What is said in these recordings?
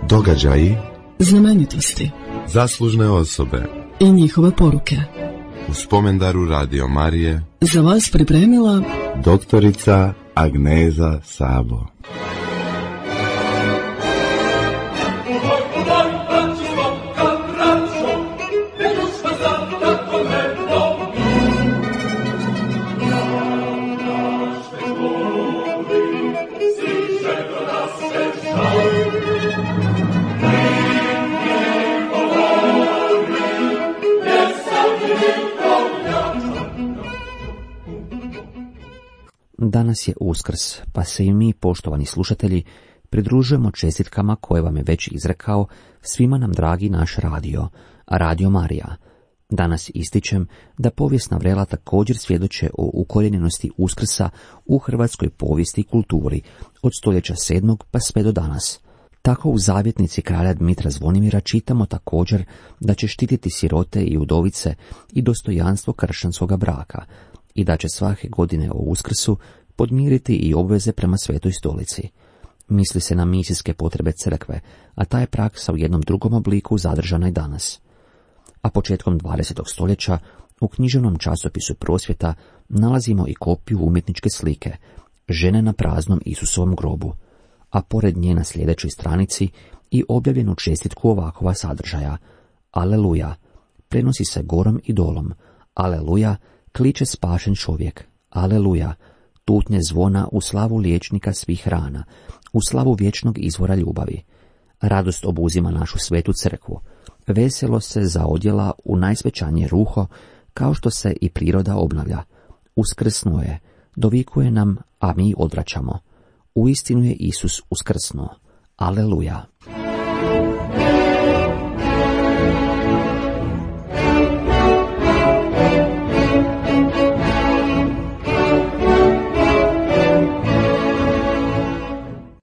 Događaji, znamenitosti, zaslužne osobe i njihove poruke. U spomendaru Radio Marije Za vas pripremila doktorica Agneza Sabo. Danas je Uskrs, pa se i mi, poštovani slušatelji, pridružujemo čestitkama koje vam je već izrekao svima nam dragi naš radio, Radio Marija. Danas ističem da povijesna vrela također svjedoče o ukorijenjenosti Uskrsa u hrvatskoj povijesti i kulturi od stoljeća 7. pa sve do danas. Tako u zavjetnici kralja Dmitra Zvonimira čitamo također da će štititi sirote i udovice i dostojanstvo kršćanskoga braka, i da će svake godine o Uskrsu podmiriti i obveze prema Svetoj stolici. Misli se na misijske potrebe crkve, a ta je praksa u jednom drugom obliku zadržana i danas. A početkom 20. stoljeća u književnom časopisu Prosvjeta nalazimo i kopiju umjetničke slike, žene na praznom Isusovom grobu, a pored nje na sljedećoj stranici i objavljenu čestitku ovakova sadržaja: Aleluja, prenosi se gorom i dolom, aleluja, kliče spašen čovjek, aleluja, tutnje zvona u slavu liječnika svih rana, u slavu vječnog izvora ljubavi. Radost obuzima našu svetu crkvu, veselo se zaodjela u najsvećanije ruho, kao što se i priroda obnavlja. Uskrsnuo je, dovikuje nam, a mi odvraćamo. Uistinu je Isus uskrsnuo. Aleluja.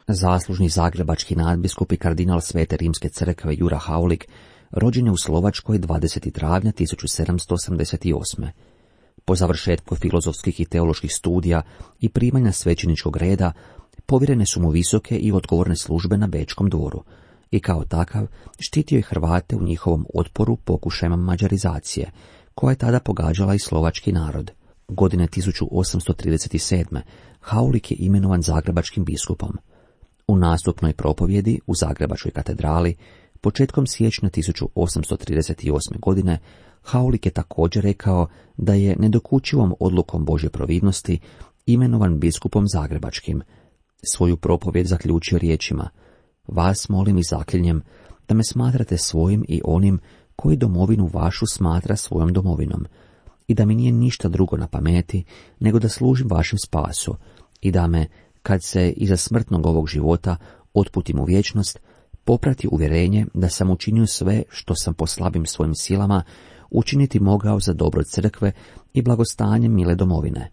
Zaslužni zagrebački nadbiskup i kardinal Svete rimske crkve Jura Haulik rođen je u Slovačkoj 20. travnja 1788. Po završetku filozofskih i teoloških studija i primanja svećeničkog reda povjerene su mu visoke i odgovorne službe na Bečkom dvoru i kao takav štitio je Hrvate u njihovom otporu pokušajima mađarizacije, koja je tada pogađala i slovački narod. Godine 1837. Haulik je imenovan zagrebačkim biskupom. U nastupnoj propovjedi u Zagrebačkoj katedrali početkom siječnja 1838. godine Haulik je također rekao da je nedokučivom odlukom Božje providnosti imenovan biskupom zagrebačkim. Svoju propovjed zaključio riječima: Vas molim i zaklinjem da me smatrate svojim i onim koji domovinu vašu smatra svojom domovinom, i da mi nije ništa drugo na pameti nego da služim vašem spasu, i da me, kad se iza smrtnog ovog života otputim u vječnost, poprati uvjerenje da sam učinio sve što sam po slabim svojim silama učiniti mogao za dobro crkve i blagostanje mile domovine.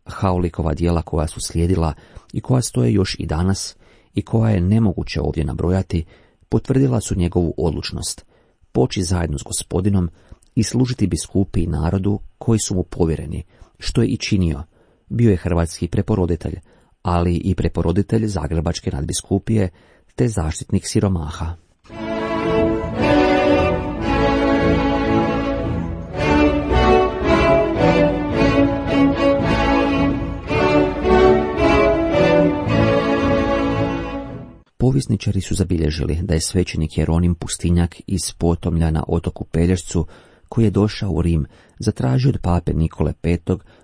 Haulikova djela koja su slijedila i koja stoje još i danas i koja je nemoguće ovdje nabrojati, potvrdila su njegovu odlučnost poći zajedno s Gospodinom i služiti biskupi i narodu koji su mu povjereni, što je i činio. Bio je hrvatski preporoditelj, ali i preporoditelj Zagrebačke nadbiskupije te zaštitnik siromaha. Povjesničari su zabilježili da je svećenik Jeronim Pustinjak iz Potomlja na otoku Pelješcu, koji je došao u Rim, zatražio od pape Nikole V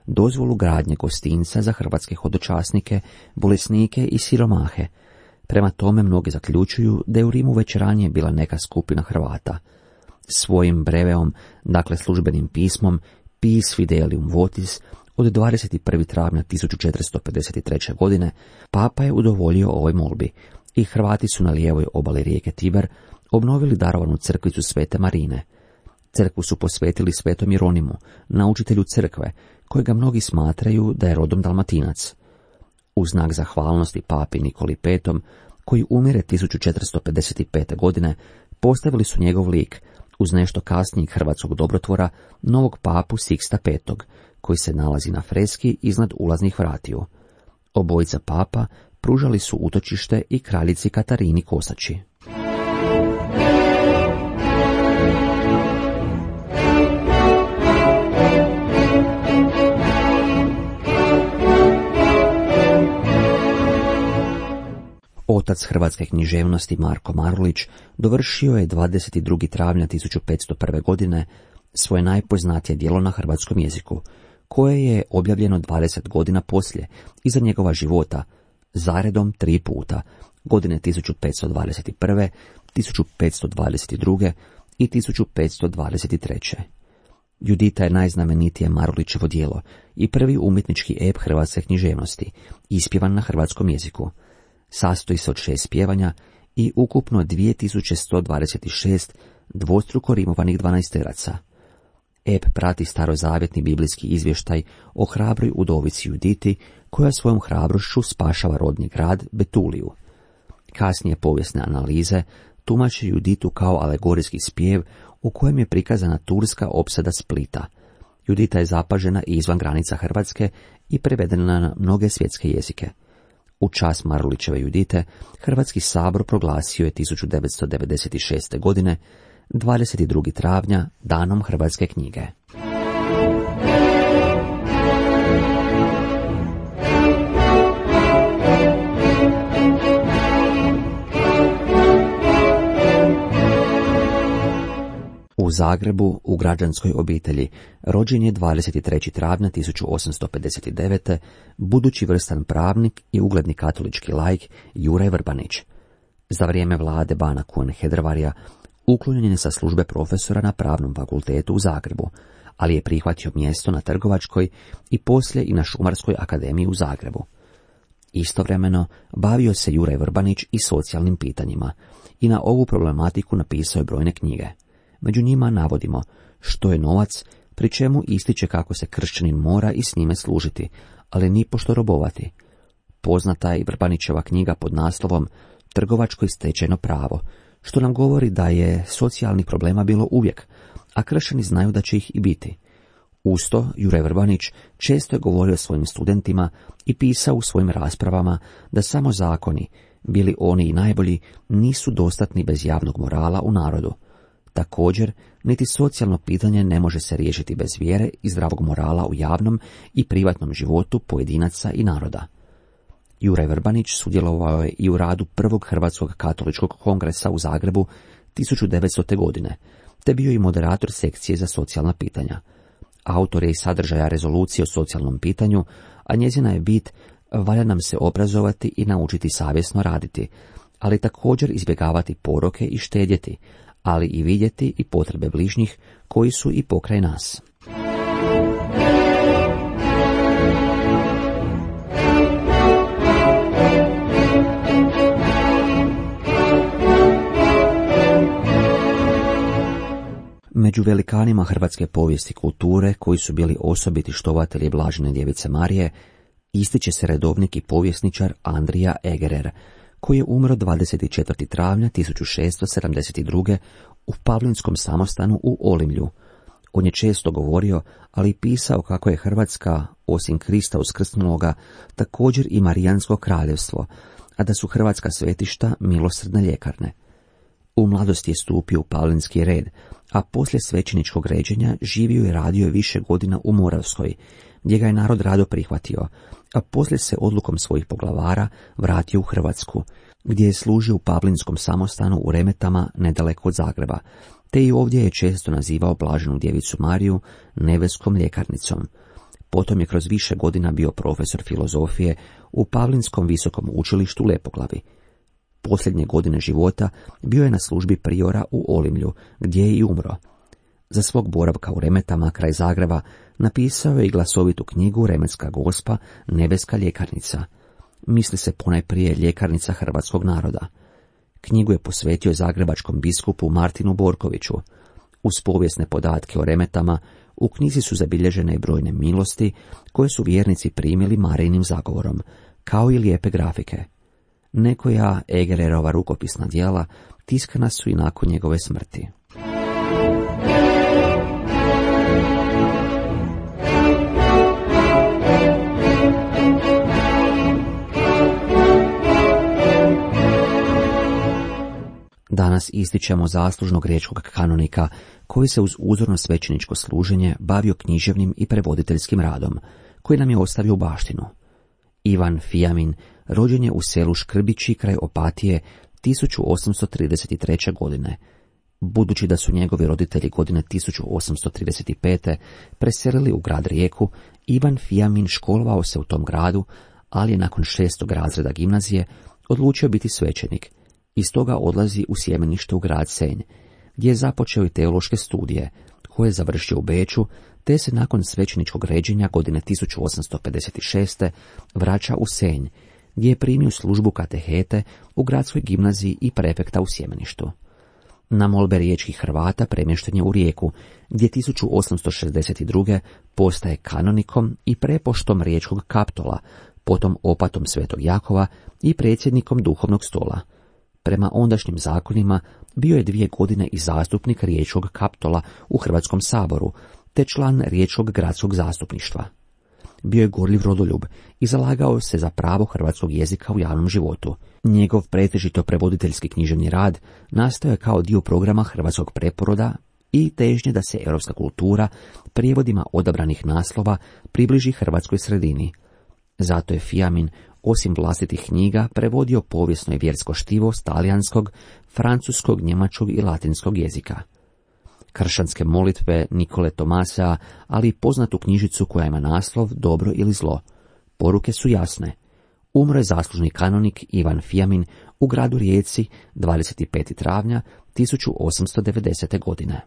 dozvolu gradnje gostinca za hrvatske hodočasnike, bolesnike i siromahe. Prema tome mnogi zaključuju da je u Rimu već ranije bila neka skupina Hrvata. Svojim breveom, dakle službenim pismom, Pis Fidelium Votis, od 21. travnja 1453. godine, papa je udovoljio ovoj molbi i Hrvati su na lijevoj obali rijeke Tiber obnovili darovanu crkvicu Svete Marine. Crkvu su posvetili svetom Jeronimu, naučitelju crkve, kojega mnogi smatraju da je rodom Dalmatinac. U znak zahvalnosti papi Nikoli V, koji umire 1455. godine, postavili su njegov lik, uz nešto kasnijeg hrvatskog dobrotvora, novog papu Siksta V, koji se nalazi na freski iznad ulaznih vratiju. Obojica papa pružali su utočište i kraljici Katarini Kosači. otac hrvatske književnosti Marko Marulić dovršio je 22. travnja 1501. godine svoje najpoznatije djelo na hrvatskom jeziku, koje je objavljeno 20 godina poslije, iza njegova života, zaredom 3 puta, godine 1521., 1522. i 1523. Judita je najznamenitije Marulićevo djelo i prvi umjetnički ep hrvatske književnosti, ispjevan na hrvatskom jeziku. Sastoji se od 6 pjevanja i ukupno 2126 dvostruko rimovanih dvanaesteraca. Ep prati starozavjetni biblijski izvještaj o hrabroj udovici Juditi, koja svojom hrabrošću spašava rodni grad Betuliju. Kasnije povijesne analize tumače Juditu kao alegorijski spjev u kojem je prikazana turska opsada Splita. Judita je zapažena i izvan granica Hrvatske i prevedena na mnoge svjetske jezike. U čast Marulićeve Judite Hrvatski sabor proglasio je 1996. godine 22. travnja danom hrvatske knjige. U Zagrebu, u građanskoj obitelji, rođen je 23. travnja 1859. budući vrstan pravnik i ugledni katolički laik Juraj Vrbanić. Za vrijeme vlade bana Kuhn-Hedrevarija uklonjen je sa službe profesora na Pravnom fakultetu u Zagrebu, ali je prihvatio mjesto na Trgovačkoj i poslije i na Šumarskoj akademiji u Zagrebu. Istovremeno bavio se Juraj Vrbanić i socijalnim pitanjima i na ovu problematiku napisao je brojne knjige. Među njima navodimo Što je novac, pri čemu ističe kako se kršćanin mora i s njime služiti, ali nipošto robovati. Poznata je i Vrbanićeva knjiga pod naslovom Trgovačko i stečajno pravo, što nam govori da je socijalnih problema bilo uvijek, a kršćani znaju da će ih i biti. Uz to, Juraj Vrbanić često je govorio svojim studentima i pisao u svojim raspravama da samo zakoni, bili oni i najbolji, nisu dostatni bez javnog morala u narodu. Također, niti socijalno pitanje ne može se riješiti bez vjere i zdravog morala u javnom i privatnom životu pojedinaca i naroda. Juraj Vrbanić sudjelovao je i u radu prvog Hrvatskog katoličkog kongresa u Zagrebu 1900. godine, te bio i moderator sekcije za socijalna pitanja. Autor je i sadržaja rezolucije o socijalnom pitanju, a njezina je bit: valja nam se obrazovati i naučiti savjesno raditi, ali također izbjegavati poroke i štedjeti, ali i vidjeti i potrebe bližnjih koji su i pokraj nas. Među velikanima hrvatske povijesti kulture, koji su bili osobiti štovatelji Blažene djevice Marije, ističe se redovnik i povjesničar Andrija Egerer, koji je umro 24. travnja 1672. u Pavlinskom samostanu u Olimlju. On je često govorio, ali i pisao kako je Hrvatska, osim Krista uskrsnuloga, također i Marijansko kraljevstvo, a da su hrvatska svetišta milosrdne ljekarne. U mladosti je stupio u Pavlinski red, a poslije svećeničkog ređenja živio i radio više godina u Moravskoj, gdje ga je narod rado prihvatio, a poslije se odlukom svojih poglavara vratio u Hrvatsku, gdje je služio u Pavlinskom samostanu u Remetama nedaleko od Zagreba, te i ovdje je često nazivao Blaženu djevicu Mariju nebeskom ljekarnicom. Potom je kroz više godina bio profesor filozofije u Pavlinskom visokom učilištu u Lepoglavi. Posljednje godine života bio je na službi priora u Olimlju, gdje je i umro. Za svog boravka u Remetama kraj Zagreba napisao je i glasovitu knjigu Remetska gospa, nebeska ljekarnica. Misli se ponajprije ljekarnica hrvatskog naroda. Knjigu je posvetio zagrebačkom biskupu Martinu Borkoviću. Uz povijesne podatke o Remetama u knjizi su zabilježene i brojne milosti koje su vjernici primili Marijinim zagovorom, kao i lijepe grafike. Nekoja Egererova rukopisna djela tiskana su i nakon njegove smrti. Danas ističemo zaslužnog riječkog kanonika koji se uz uzorno svećeničko služenje bavio književnim i prevoditeljskim radom, koji nam je ostavio u baštinu. Ivan Fijamin rođen je u selu Škrbići kraj Opatije 1833. godine. Budući da su njegovi roditelji godine 1835. preselili u grad Rijeku, Ivan Fijamin školovao se u tom gradu, ali je nakon 6. razreda gimnazije odlučio biti svećenik i stoga odlazi u sjemenište u grad Senj, gdje je započeo i teološke studije, koje je završio u Beču, te se nakon svećeničkog ređenja godine 1856. vraća u Senj, gdje je primio službu katehete u gradskoj gimnaziji i prefekta u sjemeništu. Na molbe riječkih Hrvata premješten je u Rijeku, gdje 1862. postaje kanonikom i prepoštom riječkog kaptola, potom opatom Svetog Jakova i predsjednikom duhovnog stola. Prema ondašnjim zakonima bio je 2 godine i zastupnik riječkog kaptola u Hrvatskom saboru, te član riječkog gradskog zastupništva. Bio je gorljiv rodoljub i zalagao se za pravo hrvatskog jezika u javnom životu. Njegov pretežito prevoditeljski književni rad nastao je kao dio programa hrvatskog preporoda i težnje da se europska kultura prijevodima odabranih naslova približi hrvatskoj sredini. Zato je Fijamin, osim vlastitih knjiga, prevodio povijesno i vjersko štivo s talijanskog, francuskog, njemačkog i latinskog jezika. Kršćanske molitve Nikole Tomasea, ali i poznatu knjižicu koja ima naslov Dobro ili zlo. Poruke su jasne. Umro je zaslužni kanonik Ivan Fijamin u gradu Rijeci 25. travnja 1890. godine.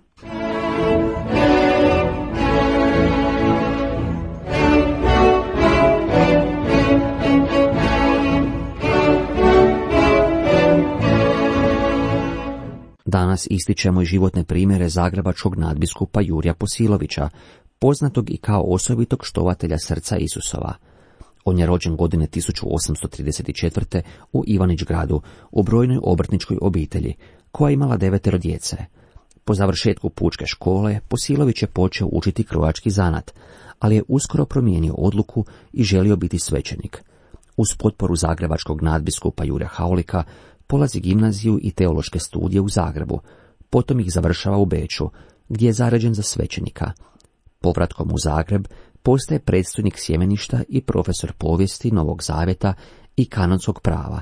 Danas ističemo i životne primjere zagrebačkog nadbiskupa Jurija Posilovića, poznatog i kao osobitog štovatelja srca Isusova. On je rođen godine 1834. u Ivanić-gradu, u brojnoj obrtničkoj obitelji, koja je imala 9 djece. Po završetku pučke škole, Posilović je počeo učiti krojački zanat, ali je uskoro promijenio odluku i želio biti svećenik. Uz potporu zagrebačkog nadbiskupa Jure Haulika, polazi gimnaziju i teološke studije u Zagrebu, potom ih završava u Beču, gdje je zaređen za svećenika. Povratkom u Zagreb postaje predstojnik sjemeništa i profesor povijesti Novog Zavjeta i kanonskog prava.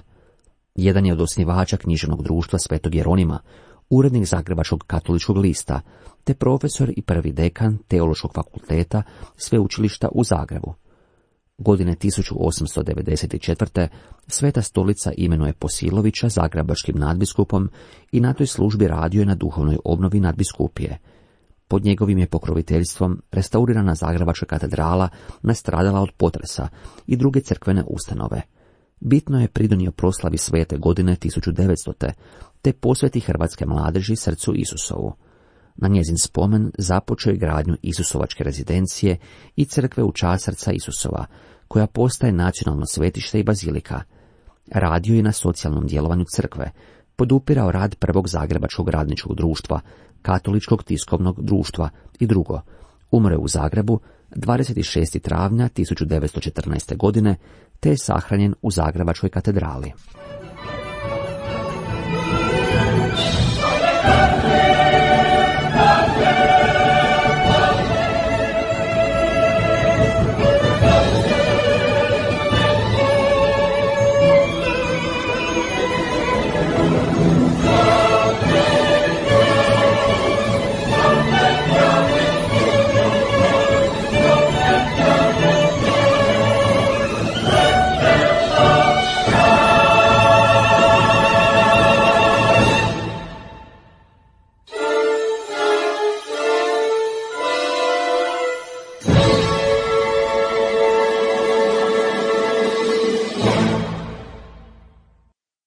Jedan je od osnivača književnog društva Svetog Jeronima, urednik Zagrebačkog katoličkog lista, te profesor i prvi dekan Teološkog fakulteta Sveučilišta u Zagrebu. Godine 1894. Sveta stolica imenuje Posilovića zagrebačkim nadbiskupom i na toj službi radio je na duhovnoj obnovi nadbiskupije. Pod njegovim je pokroviteljstvom restaurirana Zagrebačka katedrala nastradala od potresa i druge crkvene ustanove. Bitno je pridonio proslavi svete godine 1900. te posveti hrvatske mladeži srcu Isusovu. Na njezin spomen započeo je gradnju Isusovačke rezidencije i crkve u čast srca Isusova, koja postaje nacionalno svetište i bazilika. Radio je na socijalnom djelovanju crkve, podupirao rad prvog zagrebačkog radničkog društva, katoličkog tiskovnog društva i drugo. Umro je u Zagrebu 26. travnja 1914. godine, te je sahranjen u Zagrebačkoj katedrali.